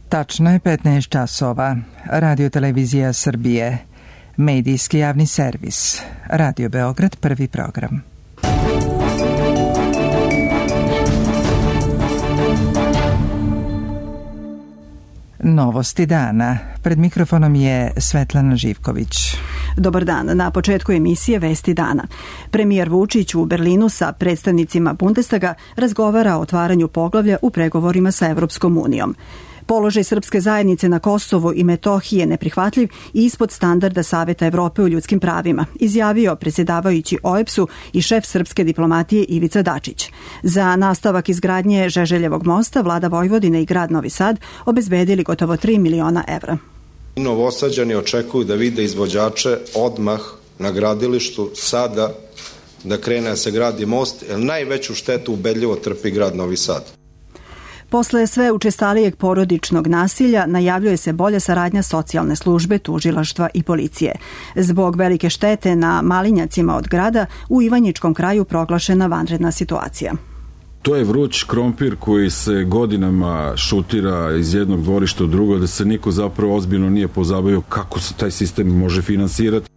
Tačno je 15 časova. Radio Televizija Srbije. Medijski javni servis. Radio Beograd, prvi program. Novosti dana. Pred mikrofonom je Svetlana Živković. Dobar dan. Na početku emisije Vesti dana. Premijer Vučić u Berlinu sa predstavnicima Bundestaga razgovara o otvaranju poglavlja u pregovorima sa Evropskom unijom. Položaj srpske zajednice na Kosovu i Metohiji je neprihvatljiv i ispod standarda Saveta Evrope u ljudskim pravima, izjavio predsjedavajući OEBS-u i šef srpske diplomatije Ivica Dačić. Za nastavak izgradnje Žeželjevog mosta vlada Vojvodine i grad Novi Sad obezbedili gotovo 3 miliona evra. Novosađani očekuju da vide izvođače odmah na gradilištu sada da krene da se gradi most, jer najveću štetu ubedljivo trpi grad Novi Sad. Posle sve učestalijeg porodičnog nasilja najavljuje se bolja saradnja socijalne službe, tužilaštva i policije. Zbog velike štete na malinjacima od grada u Ivanjičkom kraju proglašena vanredna situacija. To je vruć krompir koji se godinama šutira iz jednog dvorišta u drugo, da se niko zapravo ozbiljno nije pozabavio kako se taj sistem može finansirati.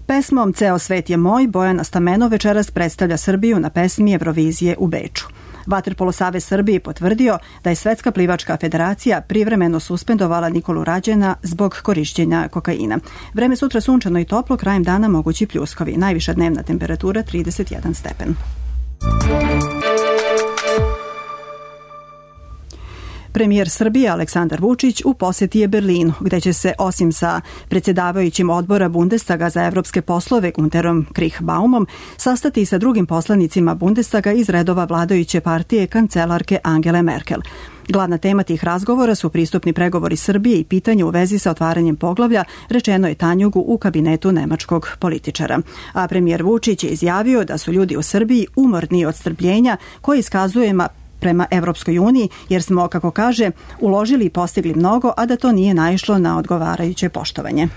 Pesmom Ceo svet je moj Bojana Stamenov večeras predstavlja Srbiju na pesmi Eurovizije u Beču. Vaterpolo savez Srbije potvrdio da je Svetska plivačka federacija privremeno suspendovala Nikolu Rađena zbog korišćenja kokaina. Vreme sutra sunčano i toplo, krajem dana mogući pljuskovi. Najviša dnevna temperatura 31 stepen. Premijer Srbije Aleksandar Vučić u posjeti je Berlinu, gde će se osim sa predsjedavajućim odbora Bundestaga za evropske poslove Günterom Kriechbaumom sastati i sa drugim poslanicima Bundestaga iz redova vladajuće partije kancelarke Angele Merkel. Glavna tema tih razgovora su pristupni pregovori Srbije i pitanje u vezi sa otvaranjem poglavlja, rečeno je Tanjugu u kabinetu nemačkog političara. A premijer Vučić je izjavio da su ljudi u Srbiji umorni od strpljenja koje iskazujemo prema Evropskoj uniji, jer smo, kako kaže, uložili i postigli mnogo, a da to nije naišlo na odgovarajuće poštovanje.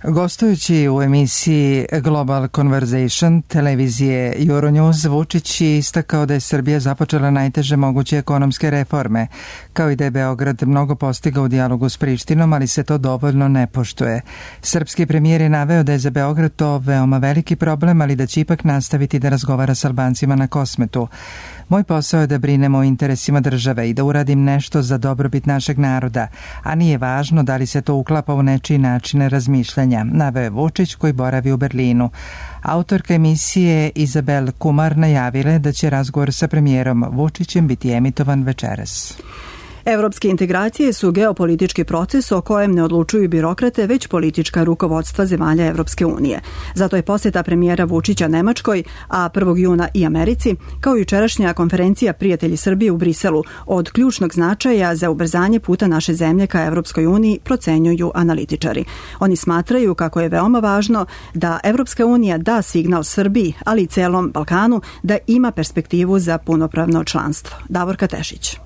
Gostujući u emisiji Global Conversation televizije Euronews, Vučić je istakao da je Srbija započela najteže moguće ekonomske reforme, kao i da je Beograd mnogo postigao u dijalogu s Prištinom, ali se to dovoljno ne poštuje. Srpski premijer je naveo da je za Beograd to veoma veliki problem, ali da će ipak nastaviti da razgovara s Albancima na Kosmetu. Moj posao je da brinemo o interesima države i da uradim nešto za dobrobit našeg naroda, a nije važno da li se to uklapa u nečiji načine razmišljanja, naveo je Vučić koji boravi u Berlinu. Autorka emisije Izabel Kumar najavila da će razgovor sa premijerom Vučićem biti emitovan večeras. Evropske integracije su geopolitički proces o kojem ne odlučuju birokrate, već politička rukovodstva zemalja Evropske unije. Zato je posjeta premijera Vučića Nemačkoj, a 1. juna i Americi, kao i jučerašnja konferencija Prijatelji Srbije u Briselu, od ključnog značaja za ubrzanje puta naše zemlje ka Evropskoj uniji, procenjuju analitičari. Oni smatraju kako je veoma važno da Evropska unija da signal Srbiji, ali i celom Balkanu, da ima perspektivu za punopravno članstvo. Davorka Tešić.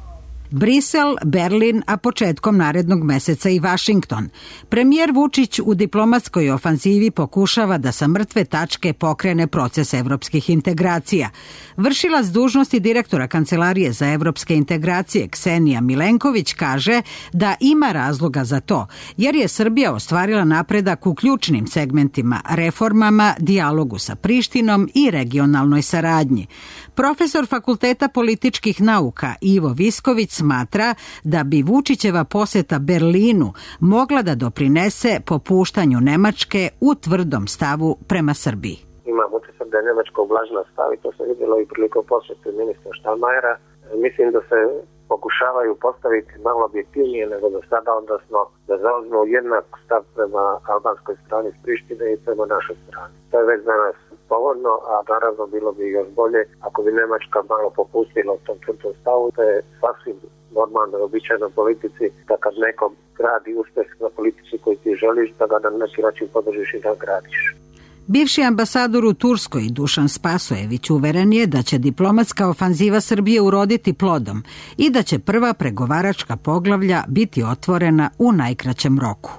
Brisel, Berlin, a početkom narednog meseca i Vašington. Premijer Vučić u diplomatskoj ofanzivi pokušava da sa mrtve tačke pokrene proces evropskih integracija. Vršilac dužnosti direktora Kancelarije za evropske integracije Ksenija Milenković kaže da ima razloga za to, jer je Srbija ostvarila napredak u ključnim segmentima, reformama, dijalogu sa Prištinom i regionalnoj saradnji. Profesor Fakulteta političkih nauka Ivo Visković smatra da bi Vučićeva posjeta Berlinu mogla da doprinese popuštanju Nemačke u tvrdom stavu prema Srbiji. Imam utisak da je Nemačka ublažila stav i to se vidjelo i prilikom posjete ministra Štalmajera. Mislim da se pokušavaju postaviti malo objektivnije nego do sada, odnosno da zauzmu jednak stav prema albanskoj strani s Prištine i prema našoj strani. To je već danas povoljno, a naravno bilo bi još bolje ako bi Nemačka malo popustila u tom tvrdom stavu. To je sasvim normalno i običajno politici da kad nekom gradi uspjeh na politici koji ti želiš, da ga na neki način podržiš i da gradiš. Bivši ambasador u Turskoj Dušan Spasojević uveren je da će diplomatska ofanziva Srbije uroditi plodom i da će prva pregovaračka poglavlja biti otvorena u najkraćem roku.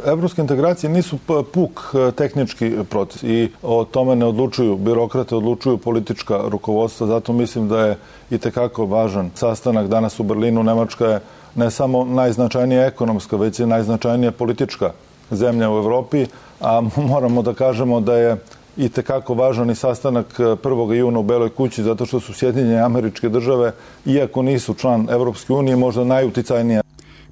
Evropske integracije nisu puk tehnički proces i o tome ne odlučuju birokrate, odlučuju politička rukovodstva, zato mislim da je itekako važan sastanak danas u Berlinu. Nemačka je ne samo najznačajnija ekonomska, već i najznačajnija politička zemlja u Evropi, a moramo da kažemo da je i tekako važan i sastanak 1. juna u Beloj kući, zato što su Sjedinjene Američke Države, iako nisu član Evropske unije, možda najuticajnija.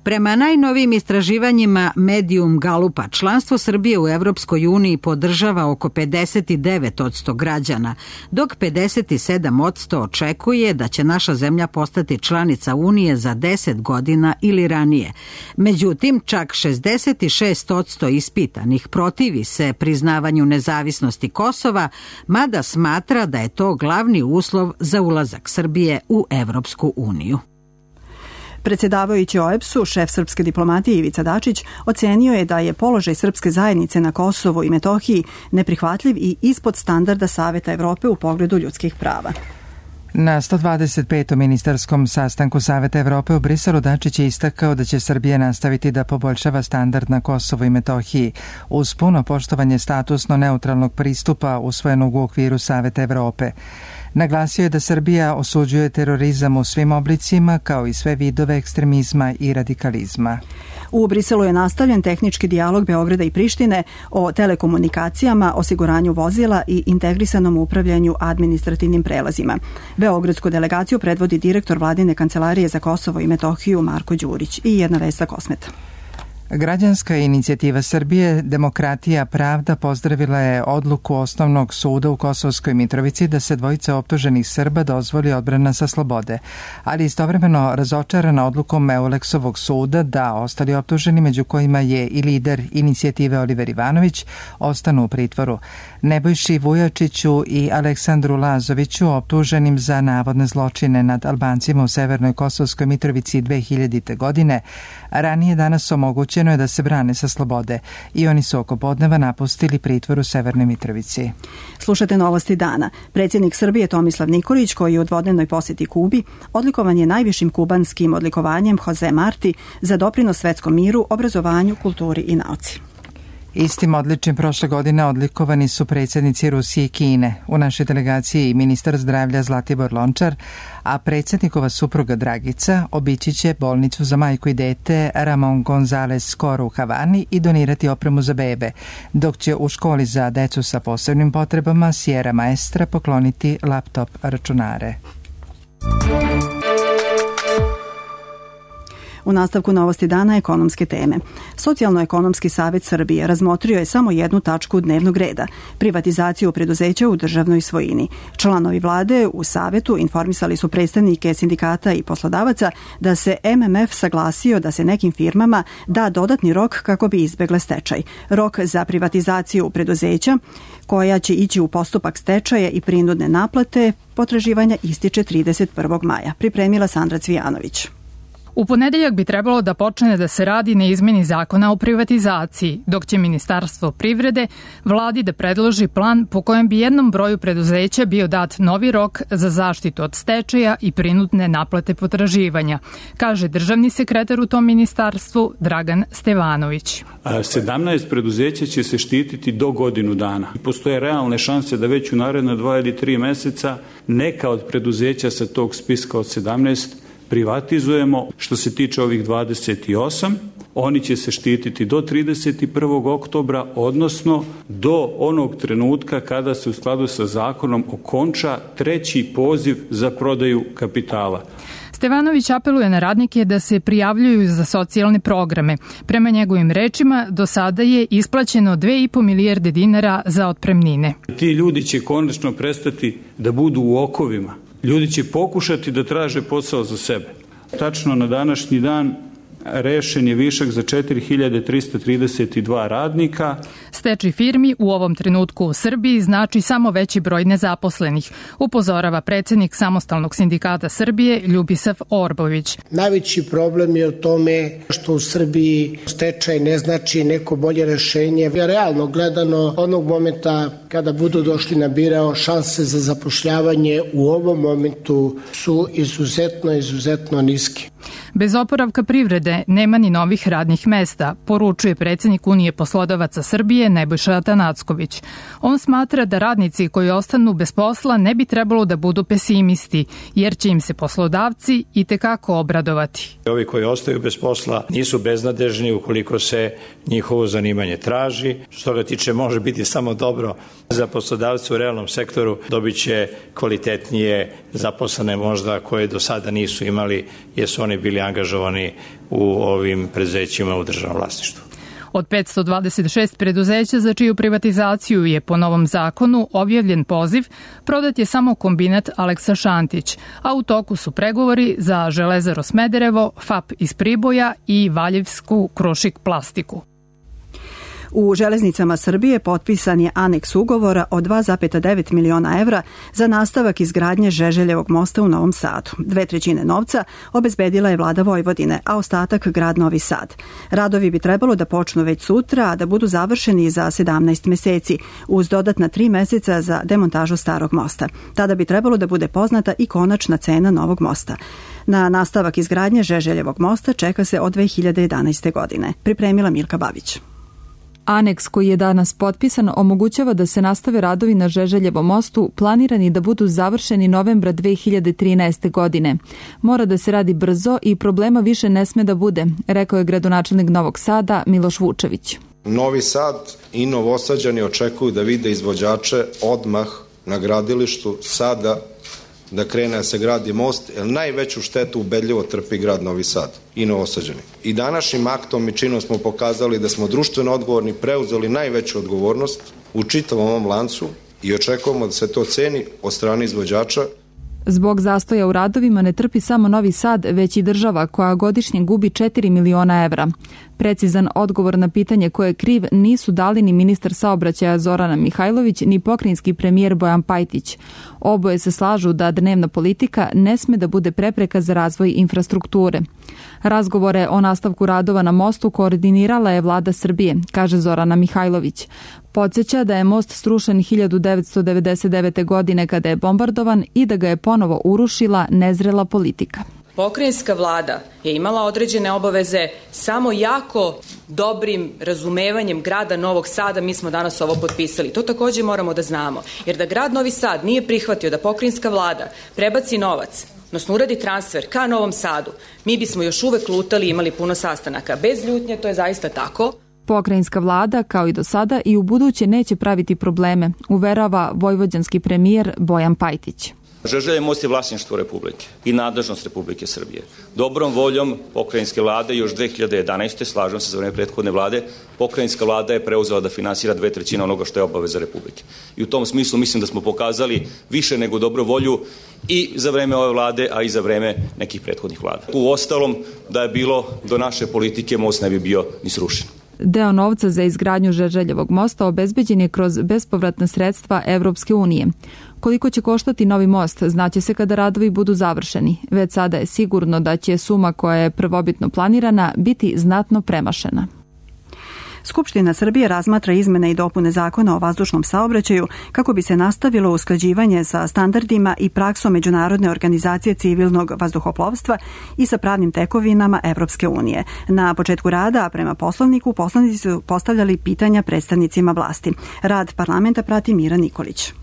Prema najnovijim istraživanjima Medium Galupa, članstvo Srbije u Evropskoj uniji podržava oko 59% građana, dok 57% očekuje da će naša zemlja postati članica Unije za 10 godina ili ranije. Međutim, čak 66% ispitanih protivi se priznavanju nezavisnosti Kosova, mada smatra da je to glavni uslov za ulazak Srbije u Evropsku uniju. Predsjedavajući OEBS-u, šef srpske diplomatije Ivica Dačić ocenio je da je položaj srpske zajednice na Kosovu i Metohiji neprihvatljiv i ispod standarda Saveta Evrope u pogledu ljudskih prava. Na 125. ministarskom sastanku Saveta Evrope u Briselu Dačić je istakao da će Srbija nastaviti da poboljšava standard na Kosovu i Metohiji uz puno poštovanje statusno neutralnog pristupa usvojenog u okviru Saveta Evrope. Naglasio je da Srbija osuđuje terorizam u svim oblicima kao i sve vidove ekstremizma i radikalizma. U Briselu je nastavljen tehnički dijalog Beograda i Prištine o telekomunikacijama, osiguranju vozila i integrisanom upravljanju administrativnim prelazima. Beogradsku delegaciju predvodi direktor Vladine kancelarije za Kosovo i Metohiju Marko Đurić. I jedna vest za Kosmeta. Građanska inicijativa Srbije Demokratija pravda pozdravila je odluku Osnovnog suda u Kosovskoj Mitrovici da se dvojica optuženih Srba dozvoli odbrana sa slobode, ali istovremeno razočarana odlukom Euleksovog suda da ostali optuženi, među kojima je i lider inicijative Oliver Ivanović, ostanu u pritvoru. Nebojši Vujačiću i Aleksandru Lazoviću, optuženim za navodne zločine nad Albancima u Severnoj Kosovskoj Mitrovici 2000. godine, ranije danas omogućeno je da se brane sa slobode i oni su oko podneva napustili pritvor u Severnoj Mitrovici. Slušate novosti dana. Predsjednik Srbije Tomislav Nikolić, koji je u dvodnevnoj posjeti Kubi, odlikovan je najvišim kubanskim odlikovanjem Jose Marti za doprinos svetskom miru, obrazovanju, kulturi i nauci. Istim odličjem prošle godine odlikovani su predsjednici Rusije i Kine. U našoj delegaciji i ministar zdravlja Zlatibor Lončar, a predsjednikova supruga Dragica obići će bolnicu za majku i dete Ramon González Skoro u Havani i donirati opremu za bebe, dok će u školi za decu sa posebnim potrebama Sierra Maestra pokloniti laptop računare. U nastavku novosti dana ekonomske teme. Socijalno-ekonomski savjet Srbije razmotrio je samo jednu tačku dnevnog reda, privatizaciju preduzeća u državnoj svojini. Članovi vlade u savjetu informisali su predstavnike sindikata i poslodavaca da se MMF saglasio da se nekim firmama da dodatni rok kako bi izbegle stečaj. Rok za privatizaciju preduzeća koja će ići u postupak stečaja i prinudne naplate potraživanja ističe 31. maja. Pripremila Sandra Cvijanović. U ponedeljak bi trebalo da počne da se radi na izmeni zakona o privatizaciji, dok će Ministarstvo privrede vladi da predloži plan po kojem bi jednom broju preduzeća bio dat novi rok za zaštitu od stečaja i prinudne naplate potraživanja, kaže državni sekretar u tom ministarstvu Dragan Stevanović. 17 preduzeća će se štititi do godinu dana. Postoje realne šanse da već u naredne 2 ili 3 meseca neka od preduzeća sa tog spiska od 17 privatizujemo. Što se tiče ovih 28, oni će se štititi do 31. oktobra, odnosno do onog trenutka kada se u skladu sa zakonom okonča treći poziv za prodaju kapitala. Stevanović apeluje na radnike da se prijavljuju za socijalne programe. Prema njegovim rečima, do sada je isplaćeno 2,5 milijarde dinara za otpremnine. Ti ljudi će konačno prestati da budu u okovima. Ljudi će pokušati da traže posao za sebe. Tačno na današnji dan rešen je višak za 4332 radnika. Stečaj firmi u ovom trenutku u Srbiji znači samo veći broj nezaposlenih, upozorava predsjednik Samostalnog sindikata Srbije Ljubisav Orbović. Najveći problem je u tome što u Srbiji stečaj ne znači neko bolje rešenje. Realno gledano, onog momenta kada budu došli na birao, šanse za zapošljavanje u ovom momentu su izuzetno niske. Bez oporavka privrede nema ni novih radnih mesta, poručuje predsednik Unije poslodavaca Srbije Nebojša Atanacković. On smatra da radnici koji ostanu bez posla ne bi trebalo da budu pesimisti, jer će im se poslodavci i tekako obradovati. Ovi koji ostaju bez posla nisu beznadežni ukoliko se njihovo zanimanje traži. Što ga tiče, može biti samo dobro za poslodavce u realnom sektoru, dobit će kvalitetnije zaposlene možda koje do sada nisu imali, jer su oni bili angažovani u ovim preduzećima u državnom vlasništvu. Od 526 preduzeća za čiju privatizaciju je po novom zakonu objavljen poziv, prodat je samo kombinat Aleksa Šantić, a u toku su pregovori za Železaru Smederevo, FAP iz Priboja i Valjevsku Krušik plastiku. U Železnicama Srbije potpisan je aneks ugovora od 2,9 miliona evra za nastavak izgradnje Žeželjevog mosta u Novom Sadu. 2/3 novca obezbedila je vlada Vojvodine, a ostatak grad Novi Sad. Radovi bi trebalo da počnu već sutra, a da budu završeni za 17 meseci, uz dodatna 3 meseca za demontažu starog mosta. Tada bi trebalo da bude poznata i konačna cena novog mosta. Na nastavak izgradnje Žeželjevog mosta čeka se od 2011. godine. Pripremila Milka Babić. Aneks koji je danas potpisan omogućava da se nastave radovi na Žeželjevom mostu, planirani da budu završeni novembra 2013. godine. Mora da se radi brzo i problema više ne sme da bude, rekao je gradonačelnik Novog Sada Miloš Vučević. Novi Sad i Novosađani očekuju da vide izvođače odmah na gradilištu sada da krene da se gradi most, jer najveću štetu ubedljivo trpi grad Novi Sad i Novosađani. I današnjim aktom i činom smo pokazali da smo društveno odgovorni, preuzeli najveću odgovornost u čitavom ovom lancu i očekujemo da se to ceni od strane izvođača. Zbog zastoja u radovima ne trpi samo Novi Sad, već i država koja godišnje gubi 4 miliona evra. Precizan odgovor na pitanje ko je kriv nisu dali ni ministar saobraćaja Zorana Mihajlović ni pokrajinski premijer Bojan Pajtić. Oboje se slažu da dnevna politika ne sme da bude prepreka za razvoj infrastrukture. Razgovore o nastavku radova na mostu koordinirala je vlada Srbije, kaže Zorana Mihajlović. Podsjeća da je most srušen 1999. godine kada je bombardovan i da ga je ponovo urušila nezrela politika. Pokrajinska vlada je imala određene obaveze, samo jako dobrim razumevanjem grada Novog Sada mi smo danas ovo potpisali. To takođe moramo da znamo, jer da grad Novi Sad nije prihvatio da pokrajinska vlada prebaci novac, odnosno uradi transfer ka Novom Sadu, mi bismo još uvek lutali i imali puno sastanaka. Bez ljutnje, to je zaista tako. Pokrajinska vlada, kao i do sada, i u buduće neće praviti probleme, uverava vojvođanski premijer Bojan Pajtić. Žeželjev most je vlasništvo Republike i nadležnost Republike Srbije. Dobrom voljom pokrajinske vlade još 2011. slažem se za vreme prethodne vlade, pokrajinska vlada je preuzela da finansira 2/3 onoga što je obaveza Republike. I u tom smislu mislim da smo pokazali više nego dobru volju i za vreme ove vlade, a i za vreme nekih prethodnih vlada. U ostalom, da je bilo do naše politike, most ne bi bio ni srušen. Deo novca za izgradnju Žeželjevog mosta obezbeđen je kroz bespovratna sredstva Evropske unije. Koliko će koštati novi most, znaće se kada radovi budu završeni. Već sada je sigurno da će suma koja je prvobitno planirana biti znatno premašena. Skupština Srbije razmatra izmene i dopune zakona o vazdušnom saobraćaju kako bi se nastavilo usklađivanje sa standardima i praksom Međunarodne organizacije civilnog vazduhoplovstva i sa pravnim tekovinama Evropske unije. Na početku rada, prema Poslovniku, poslanici su postavljali pitanja predstavnicima vlasti. Rad parlamenta prati Mira Nikolić.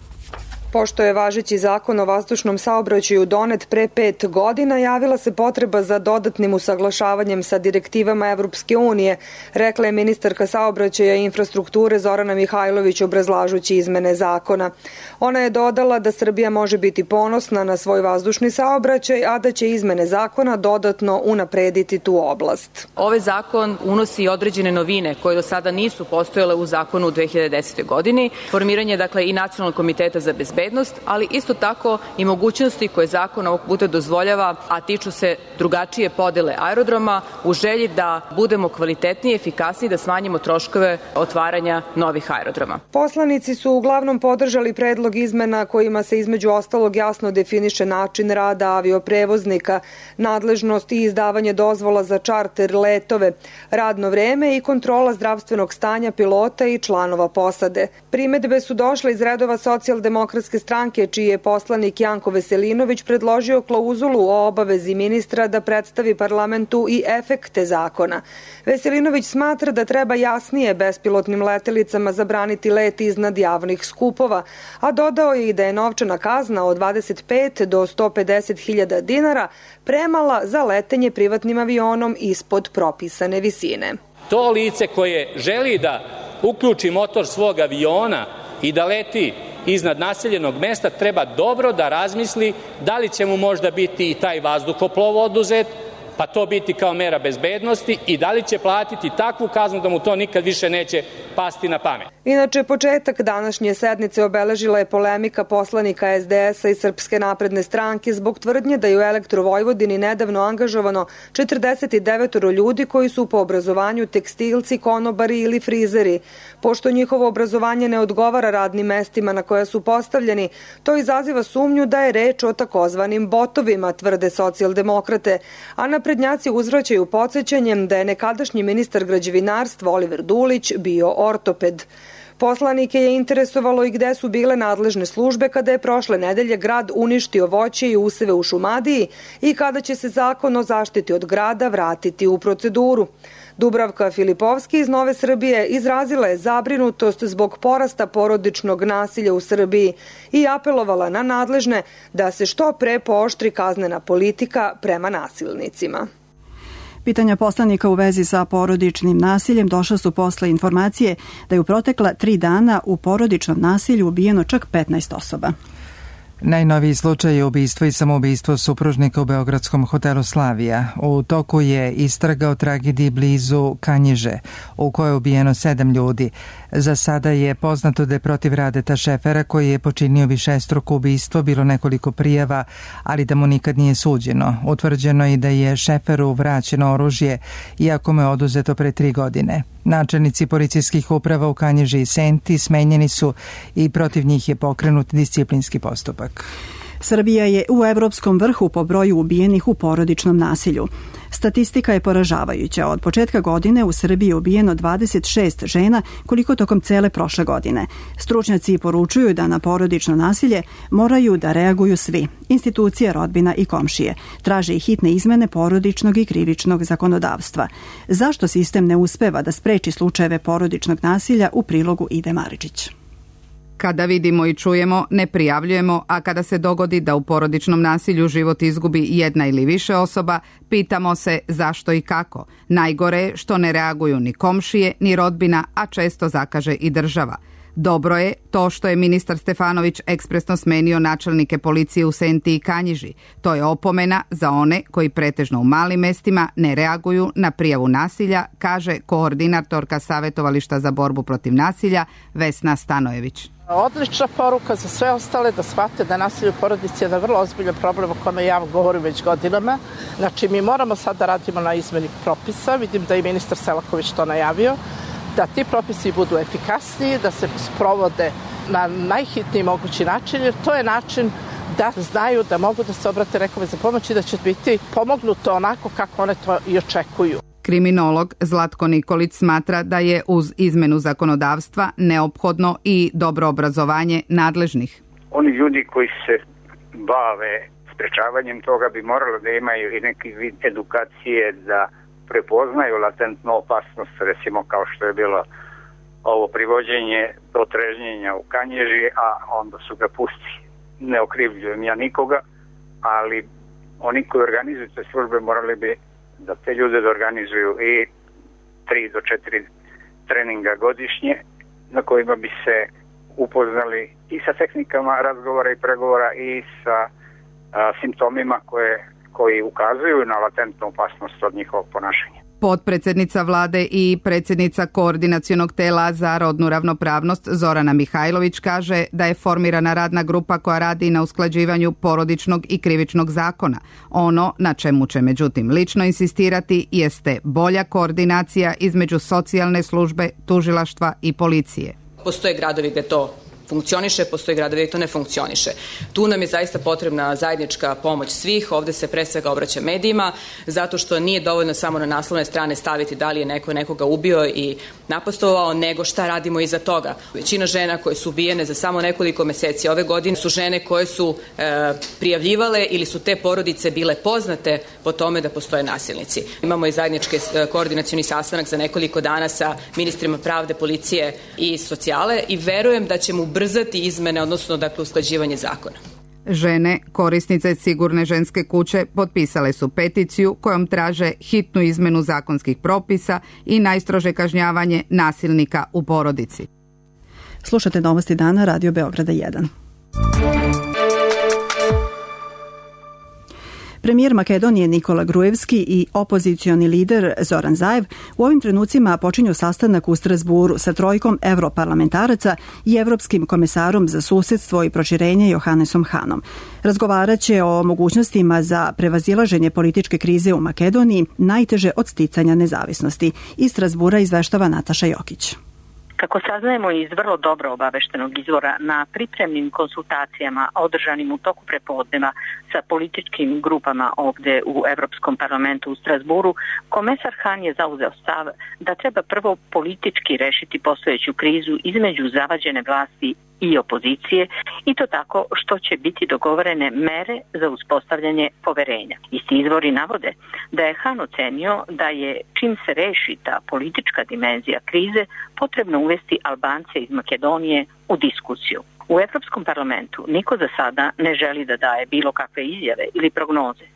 Pošto je važeći zakon o vazdušnom saobraćaju donet pre 5 godina, javila se potreba za dodatnim usaglašavanjem sa direktivama Evropske unije, rekla je ministarka saobraćaja i infrastrukture Zorana Mihajlović obrazlažući izmene zakona. Ona je dodala da Srbija može biti ponosna na svoj vazdušni saobraćaj, a da će izmene zakona dodatno unaprediti tu oblast. Ovaj zakon unosi određene novine koje do sada nisu postojale u zakonu u 2010. godini. Formiranje, i Nacionalnog komiteta za bezbednost, bezbednost, ali isto tako i mogućnosti koje zakon ovog puta dozvoljava, a tiču se drugačije podele aerodroma u želji da budemo kvalitetniji, efikasniji, da smanjimo troškove otvaranja novih aerodroma. Poslanici su uglavnom podržali predlog izmena kojima se između ostalog jasno definiše način rada avioprevoznika, nadležnost i izdavanje dozvola za čarter letove, radno vreme i kontrola zdravstvenog stanja pilota i članova posade. Primedbe su došle iz redova Socijaldemokratske stranke, čiji je poslanik Janko Veselinović predložio klauzulu o obavezi ministra da predstavi parlamentu i efekte zakona. Veselinović smatra da treba jasnije bespilotnim letelicama zabraniti let iznad javnih skupova, a dodao je i da je novčana kazna od 25 do 150.000 dinara premala za letenje privatnim avionom ispod propisane visine. To lice koje želi da uključi motor svog aviona i da leti iznad naseljenog mesta treba dobro da razmisli da li će mu možda biti i taj vazduhoplov oduzet, pa to biti kao mera bezbednosti, i da li će platiti takvu kaznu da mu to nikad više neće pasti na pamet. Inače, početak današnje sednice obeležila je polemika poslanika SDS-a i Srpske napredne stranke zbog tvrdnje da je u Elektrovojvodini nedavno angažovano 49 ljudi koji su po obrazovanju tekstilci, konobari ili frizeri. Pošto njihovo obrazovanje ne odgovara radnim mestima na koja su postavljeni, to izaziva sumnju da je reč o takozvanim botovima, tvrde socijaldemokrate, a naprednjaci uzvraćaju podsjećanjem da je nekadašnji ministar građevinarstva Oliver Dulić bio ortoped. Poslanike je interesovalo i gde su bile nadležne službe kada je prošle nedelje grad uništio voće i useve u Šumadiji i kada će se zakon o zaštiti od grada vratiti u proceduru. Dubravka Filipovski iz Nove Srbije izrazila je zabrinutost zbog porasta porodičnog nasilja u Srbiji i apelovala na nadležne da se što pre pooštri kaznena politika prema nasilnicima. Pitanja poslanika u vezi sa porodičnim nasiljem došla su posle informacije da je u protekla 3 dana u porodičnom nasilju ubijeno čak 15 osoba. Najnoviji slučaj je ubistvo i samoubistvo supružnika u beogradskom hotelu Slavija. U toku je istraga o tragediji blizu Kanjiže, u kojoj je ubijeno 7 ljudi. Za sada je poznato da je protiv Radeta Šefera, koji je počinio višestruko ubistvo, bilo nekoliko prijava, ali da mu nikad nije suđeno. Utvrđeno je da je Šeferu vraćeno oružje, iako mu je oduzeto pre 3 godine. Načelnici policijskih uprava u Kanjiži i Senti smenjeni su i protiv njih je pokrenut disciplinski postupak. Srbija je u evropskom vrhu po broju ubijenih u porodičnom nasilju. Statistika je poražavajuća. Od početka godine u Srbiji je ubijeno 26 žena, koliko tokom cele prošle godine. Stručnjaci poručuju da na porodično nasilje moraju da reaguju svi, institucije, rodbina i komšije. Traže i hitne izmene porodičnog i krivičnog zakonodavstva. Zašto sistem ne uspeva da spreči slučajeve porodičnog nasilja, u prilogu Ide Maričić. Kada vidimo i čujemo, ne prijavljujemo, a kada se dogodi da u porodičnom nasilju život izgubi jedna ili više osoba, pitamo se zašto i kako. Najgore je što ne reaguju ni komšije, ni rodbina, a često zakaže i država. Dobro je to što je ministar Stefanović ekspresno smenio načelnike policije u Senti i Kanjiži. To je opomena za one koji pretežno u malim mestima ne reaguju na prijavu nasilja, kaže koordinatorka Savetovališta za borbu protiv nasilja Vesna Stanojević. Odlična poruka za sve ostale da shvate da nasilje u porodici je jedan vrlo ozbiljan problem o kome ja govorim već godinama. Znači, mi moramo sad da radimo na izmeni propisa. Vidim da je ministar Selaković to najavio, da ti propisi budu efikasniji, da se sprovode na najhitniji mogući način, jer to je način da znaju da mogu da se obrate nekome za pomoć i da će biti pomognuto onako kako one to i očekuju. Kriminolog Zlatko Nikolić smatra da je uz izmenu zakonodavstva neophodno i dobro obrazovanje nadležnih. Oni ljudi koji se bave sprečavanjem toga bi morali da imaju i neki vid edukacije da prepoznaju latentnu opasnost, recimo kao što je bilo ovo privođenje do trežnjenja u Kanjiži, a onda su ga pustili. Ne okrivljujem ja nikoga, ali oni koji organizuju te službe morali bi da te ljude da organizuju i 3 do 4 treninga godišnje na kojima bi se upoznali i sa tehnikama razgovora i pregovora i sa simptomima koji ukazuju na latentnu opasnost od njihovog ponašanja. Potpredsednica vlade i predsjednica Koordinacionog tela za rodnu ravnopravnost Zorana Mihajlović kaže da je formirana radna grupa koja radi na usklađivanju porodičnog i krivičnog zakona. Ono na čemu će međutim lično insistirati jeste bolja koordinacija između socijalne službe, tužilaštva i policije. Postoje gradovi gde to funkcioniše, postoji gradovi gde to ne funkcioniše. Tu nam je zaista potrebna zajednička pomoć svih. Ovde se pre svega obraća medijima, zato što nije dovoljno samo na naslovne strane staviti da li je neko nekoga ubio i napastovao, nego šta radimo iza toga. Većina žena koje su ubijene za samo nekoliko meseci ove godine su žene koje su prijavljivale ili su te porodice bile poznate po tome da postoje nasilnici. Imamo i zajednički koordinacioni sastanak za nekoliko dana sa ministrima pravde, policije i socijale i verujem da ćemo ubrzati izmene, odnosno usklađivanje zakona. Žene, korisnice Sigurne ženske kuće, potpisale su peticiju kojom traže hitnu izmenu zakonskih propisa i najstrože kažnjavanje nasilnika u porodici. Slušate Novosti dana, Radio Beograda 1. Premijer Makedonije Nikola Gruevski i opozicioni lider Zoran Zaev u ovim trenucima počinju sastanak u Strasburu sa trojkom evroparlamentaraca i evropskim komesarom za susedstvo i proširenje Johannesom Hanom. Razgovaraće o mogućnostima za prevazilaženje političke krize u Makedoniji, najteže od sticanja nezavisnosti. Iz Strasbura izveštava Nataša Jokić. Kako saznajemo iz vrlo dobro obaveštenog izvora, na pripremnim konsultacijama održanim u toku prepodneva sa političkim grupama ovde u Evropskom parlamentu u Strasburu, komesar Han je zauzeo stav da treba prvo politički rešiti postojeću krizu između zavađene vlasti i opozicije i to tako što će biti dogovorene mere za uspostavljanje poverenja. Isti izvori navode da je Han ocenio da je čim se reši ta politička dimenzija krize potrebno uvesti Albance iz Makedonije u diskusiju. U Evropskom parlamentu niko za sada ne želi da daje bilo kakve izjave ili prognoze.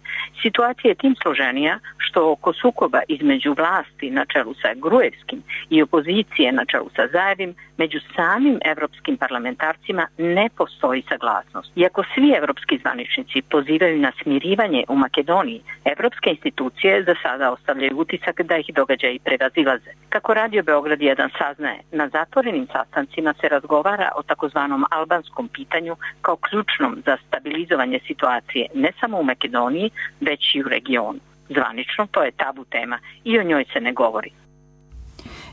Situacija je tim složenija što oko sukoba između vlasti na čelu sa Gruevskim i opozicije na čelu sa Zaevim među samim evropskim parlamentarcima ne postoji saglasnost. Iako svi evropski zvaničnici pozivaju na smirivanje u Makedoniji, evropske institucije za sada ostavljaju utisak da ih događaji prevazilaze. Kako Radio Beograd 1 saznaje, na zatvorenim sastancima se razgovara o takozvanom albanskom pitanju kao ključnom za stabilizovanje situacije ne samo u Makedoniji, već i u regionu. Zvanično to je tabu tema i o njoj se ne govori.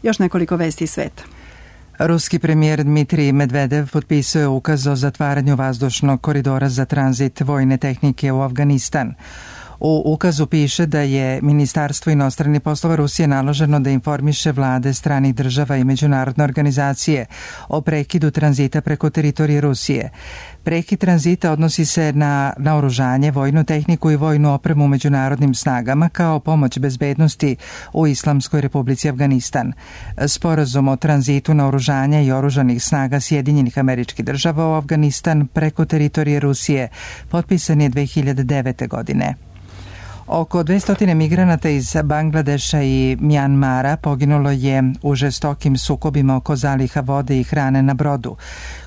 Još nekoliko vesti iz sveta. Ruski premijer Dmitrij Medvedev potpisao je ukaz o zatvaranju vazdušnog koridora za tranzit vojne tehnike u Afganistan. U ukazu piše da je Ministarstvo inostranih poslova Rusije naloženo da informiše vlade stranih država i međunarodne organizacije o prekidu tranzita preko teritorije Rusije. Prekid tranzita odnosi se na naoružanje, vojnu tehniku i vojnu opremu u međunarodnim snagama kao pomoć bezbednosti u Islamskoj Republici Afganistan. Sporazum o tranzitu naoružanja i oružanih snaga Sjedinjenih Američkih Država u Afganistan preko teritorije Rusije potpisan je 2009. godine. Oko 200 migranata iz Bangladeša i Mjanmara poginulo je u žestokim sukobima oko zaliha vode i hrane na brodu,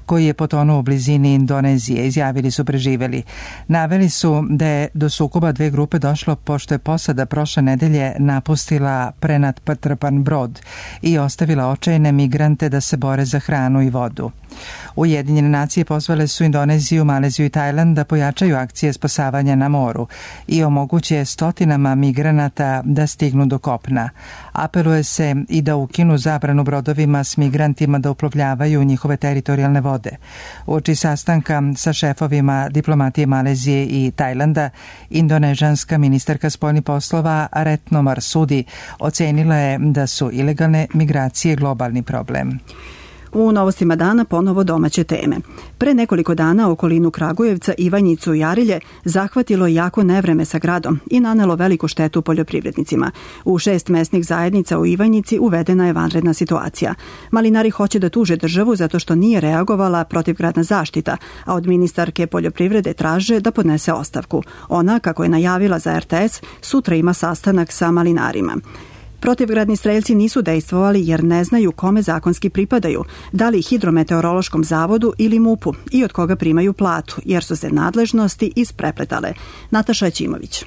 koji je potonuo u blizini Indonezije, izjavili su preživeli. Naveli su da je do sukoba dve grupe došlo pošto je posada prošle nedelje napustila prenatrpan brod i ostavila očajne migrante da se bore za hranu i vodu. Ujedinjene nacije pozvale su Indoneziju, Maleziju i Tajland da pojačaju akcije spasavanja na moru i omoguće stotinama migranata da stignu do kopna. Apeluje se i da ukinu zabranu brodovima s migrantima da uplovljavaju njihove teritorijalne vode. Uoči sastanka sa šefovima diplomatije Malezije i Tajlanda, indonežanska ministarka spoljnih poslova Retno Marsudi ocenila je da su ilegalne migracije globalni problem. U novostima dana ponovo domaće teme. Pre nekoliko dana okolinu Kragujevca, Ivanjicu i Arilje zahvatilo jako nevreme sa gradom i nanelo veliku štetu poljoprivrednicima. U 6 mesnih zajednica u Ivanjici uvedena je vanredna situacija. Malinari hoće da tuže državu zato što nije reagovala protivgradna zaštita, a od ministarke poljoprivrede traže da podnese ostavku. Ona, kako je najavila za RTS, sutra ima sastanak sa malinarima. Protivgradni streljci nisu dejstvovali jer ne znaju kome zakonski pripadaju, da li Hidrometeorološkom zavodu ili MUP-u i od koga primaju platu, jer su se nadležnosti isprepletale. Nataša Ćimović.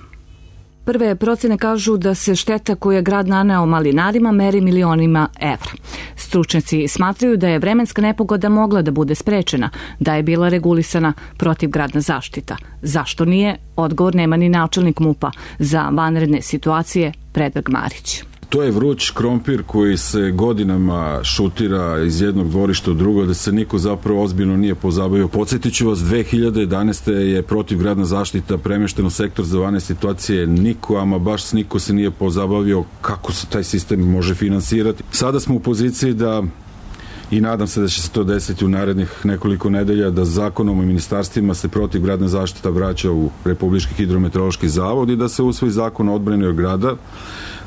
Prve procene kažu da se šteta koju je grad naneo malinarima meri milionima evra. Stručnjaci smatraju da je vremenska nepogoda mogla da bude sprečena, da je bila regulisana protivgradna zaštita. Zašto nije? Odgovor nema ni načelnik MUP-a za vanredne situacije Predrag Marić. To je vruć krompir koji se godinama šutira iz jednog dvorišta u drugo, da se niko zapravo ozbiljno nije pozabavio. Podsjetit ću vas, 2011. je protivgradna zaštita premeštena u sektor za vanredne situacije. Niko, ama baš niko se nije pozabavio kako se taj sistem može finansirati. Sada smo u poziciji da, i nadam se da će se to desiti u narednih nekoliko nedelja, da zakonom o ministarstvima se protivgradna zaštita vraća u Republički hidrometeorološki zavod i da se usvoji zakon o odbrani od grada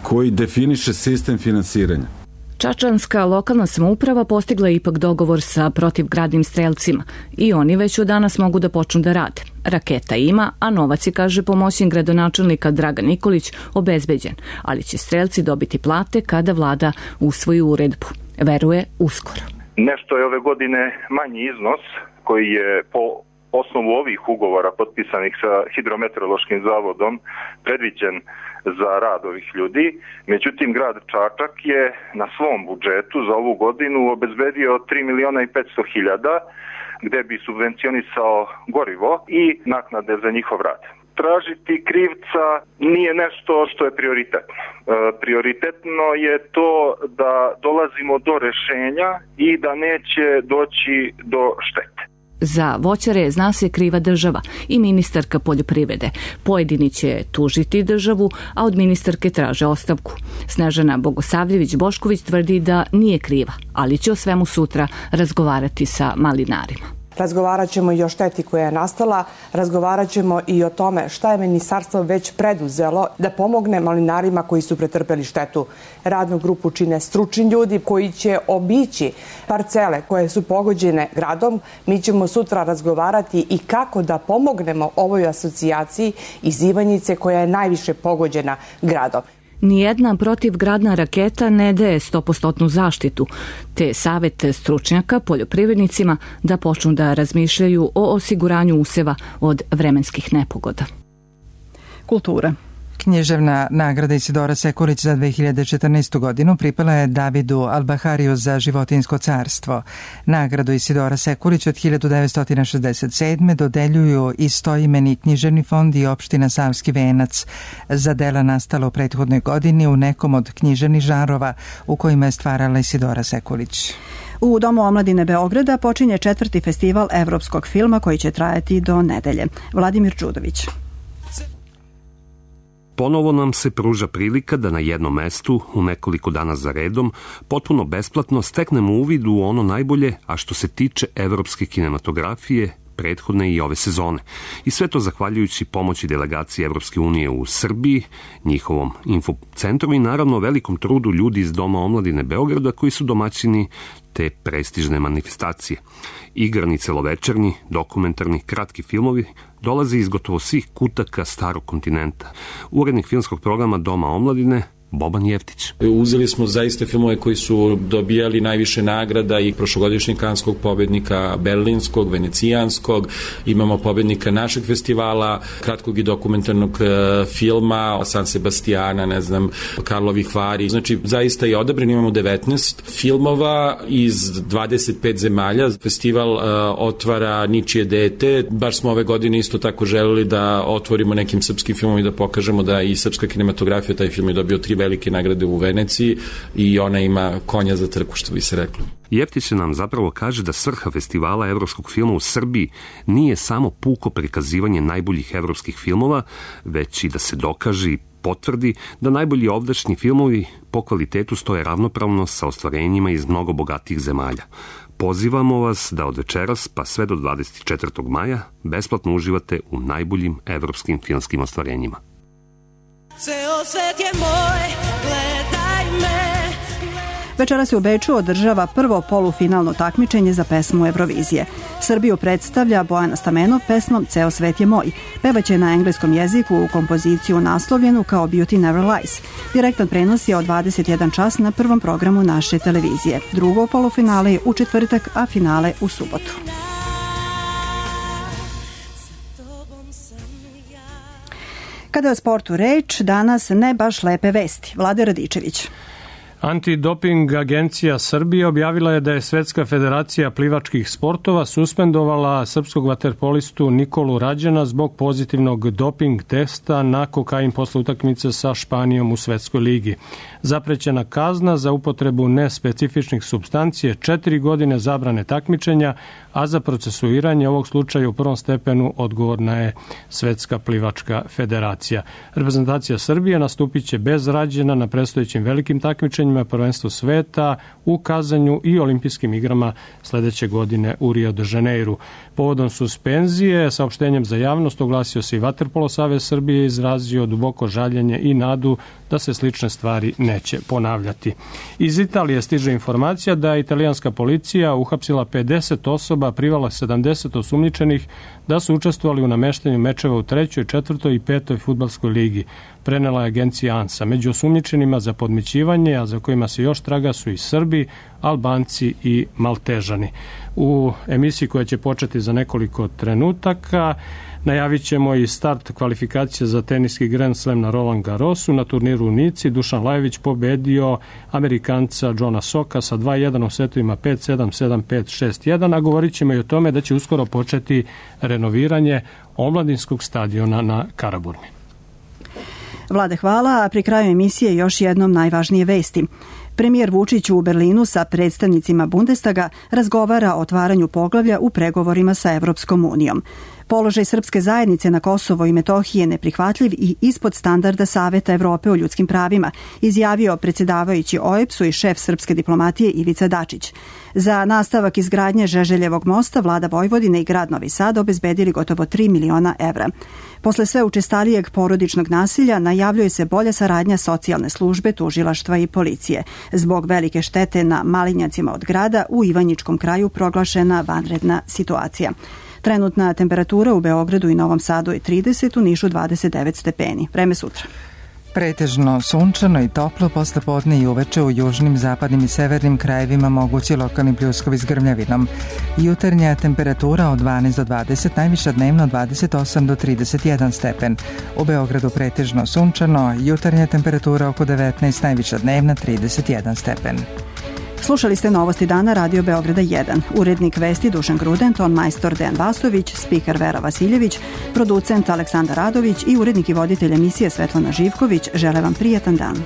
koji definiše sistem finansiranja. Čačanska lokalna samouprava postigla je ipak dogovor sa protivgradnim strelcima i oni već od danas mogu da počnu da rade. Raketa ima, a novac je, kaže pomoćnik gradonačelnika Dragan Nikolić, obezbeđen, ali će strelci dobiti plate kada vlada usvoji uredbu. Veruje uskoro. Nešto je ove godine manji iznos koji je po osnovu ovih ugovora potpisanih sa hidrometeorološkim zavodom predviđen za rad ovih ljudi. Međutim, grad Čačak je na svom budžetu za ovu godinu obezbedio 3.500.000 gde bi subvencionisao gorivo i naknade za njihov rad. Tražiti krivca nije nešto što je prioritetno. Prioritetno je to da dolazimo do rešenja i da neće doći do štete. Za voćare zna se kriva država i ministarka poljoprivrede. Pojedini će tužiti državu, a od ministarke traže ostavku. Snežana Bogosavljević-Bošković tvrdi da nije kriva, ali će o svemu sutra razgovarati sa malinarima. Razgovarat ćemo i o šteti koja je nastala, razgovarat ćemo i o tome šta je ministarstvo već preduzelo da pomogne malinarima koji su pretrpeli štetu. Radnu grupu čine stručni ljudi koji će obići parcele koje su pogođene gradom. Mi ćemo sutra razgovarati i kako da pomognemo ovoj asocijaciji iz Ivanjice koja je najviše pogođena gradom. Nijedna protivgradna raketa ne daje 100% zaštitu, te savet stručnjaka poljoprivrednicima da počnu da razmišljaju o osiguranju useva od vremenskih nepogoda. Kultura. Književna nagrada Isidora Sekulić za 2014. godinu pripala je Davidu Albahariju za Životinjsko carstvo. Nagradu Isidora Sekulić od 1967. dodeljuju istoimeni književni fond i opština Savski Venac za dela nastala u prethodnoj godini u nekom od književnih žanrova u kojima je stvarala Isidora Sekulić. U Domu omladine Beograda počinje 4. festival evropskog filma koji će trajati do nedelje. Vladimir Đudović. Ponovo nam se pruža prilika da na jednom mestu, u nekoliko dana za redom, potpuno besplatno steknemo uvid u ono najbolje, a što se tiče evropske kinematografije, prethodne i ove sezone. I sve to zahvaljujući pomoći delegacije Evropske unije u Srbiji, njihovom infocentru i naravno velikom trudu ljudi iz Doma omladine Beograda koji su domaćini te prestižne manifestacije. Igrani celovečernji, dokumentarni, kratki filmovi dolaze iz gotovo svih kutaka starog kontinenta. Urednik filmskog programa Doma omladine Boban Jeftić. Uzeli smo zaista filmove koji su dobijali najviše nagrada i prošlogodišnjeg kanskog pobednika, berlinskog, venecijanskog, imamo pobednika našeg festivala, kratkog i dokumentarnog filma, San Sebastiana, ne znam, Karlovih Vari. Znači, zaista je odabren, imamo 19 filmova iz 25 zemalja. Festival otvara Ničije dete. Baš smo ove godine isto tako želeli da otvorimo nekim srpskim filmom i da pokažemo da i srpska kinematografija, taj film je dobio 3 velike nagrade u Veneciji i ona ima konja za trku, što bi se reklo. Jeftić nam zapravo kaže da svrha festivala evropskog filma u Srbiji nije samo puko prikazivanje najboljih evropskih filmova, već i da se dokaže i potvrdi da najbolji ovdašnji filmovi po kvalitetu stoje ravnopravno sa ostvarenjima iz mnogo bogatijih zemalja. Pozivamo vas da od večeras pa sve do 24. maja besplatno uživate u najboljim evropskim filmskim ostvarenjima. Ceo svet je moj, gledaj me. Večeras se u Beču održava prvo polufinalno takmičenje za pesmu Eurovizije. Srbiju predstavlja Bojana Stamenov pesmom Ceo svet je moj. Pevaće na engleskom jeziku u kompoziciju naslovljenu kao Beauty Never Lies. Direktan prenos je od 21 čas na prvom programu naše televizije. Drugo polufinale je u četvrtak, a finale u subotu. Kada je o sportu reč, danas ne baš lepe vesti. Vlade Radičević. Antidoping agencija Srbije objavila je da je Svetska federacija plivačkih sportova suspendovala srpskog vaterpolistu Nikolu Rađana zbog pozitivnog doping testa na kokain posle utakmice sa Španijom u Svetskoj ligi. Zaprećena kazna za upotrebu nespecifičnih supstancije 4 godine zabrane takmičenja, a za procesuiranje ovog slučaja u prvom stepenu odgovorna je Svetska plivačka federacija. Reprezentacija Srbije nastupit će bez Rađena na predstojećim velikim takmičenjima prvenstvu sveta u Kazanju i olimpijskim igrama sledeće godine u Rio de Janeiru. Povodom suspenzije, saopštenjem za javnost oglasio se i Vaterpolo savez Srbije, izrazio duboko žaljenje i nadu da se slične stvari neće ponavljati. Iz Italije stiže informacija da je italijanska policija uhapsila 50 osoba, privala 70 osumnjičenih da su učestvovali u nameštanju mečeva u 3., 4. i 5. fudbalskoj ligi. Prenela je agencija ANSA. Među osumnjičenima za podmićivanje, a za kojima se još traga, su i Srbi, Albanci i Maltežani. U emisiji koja će početi za nekoliko trenutaka najavit ćemo i start kvalifikacije za teniski Grand Slam na Roland Garrosu. Na turniru u Nici Dušan Lajović pobedio Amerikanca Johna Soka sa 2-1 u setovima 5-7, 7-5, 6-1, a govorit ćemo i o tome da će uskoro početi renoviranje omladinskog stadiona na Karaburmi. Vlade, hvala, a pri kraju emisije još jednom najvažnije vesti. Premijer Vučić u Berlinu sa predstavnicima Bundestaga razgovara o otvaranju poglavlja u pregovorima sa Evropskom unijom. Položaj srpske zajednice na Kosovo i Metohiji je neprihvatljiv i ispod standarda Saveta Evrope o ljudskim pravima, izjavio predsjedavajući OEBS-u i šef srpske diplomatije Ivica Dačić. Za nastavak izgradnje Žeželjevog mosta vlada Vojvodine i grad Novi Sad obezbedili gotovo 3 miliona evra. Posle sve učestalijeg porodičnog nasilja najavljuje se bolja saradnja socijalne službe, tužilaštva i policije. Zbog velike štete na malinjacima od grada u Ivanjičkom kraju proglašena vanredna situacija. Trenutna temperatura u Beogradu i Novom Sadu je 30, u Nišu 29 stepeni. Vreme sutra. Pretežno sunčano i toplo, posle podne i uveče u južnim, zapadnim i severnim krajevima mogući lokalni pljuskovi s grmljavinom. Jutarnja temperatura od 12 do 20, najviša dnevno 28 do 31 stepen. U Beogradu pretežno sunčano, jutarnja temperatura oko 19, najviša dnevna 31 stepen. Slušali ste Novosti dana Radio Beograda 1. Urednik vesti Dušan Gruden, ton majstor Dejan Vasović, spiker Vera Vasiljević, producent Aleksandar Radović i urednik i voditelj emisije Svetlana Živković. Žele vam prijatan dan.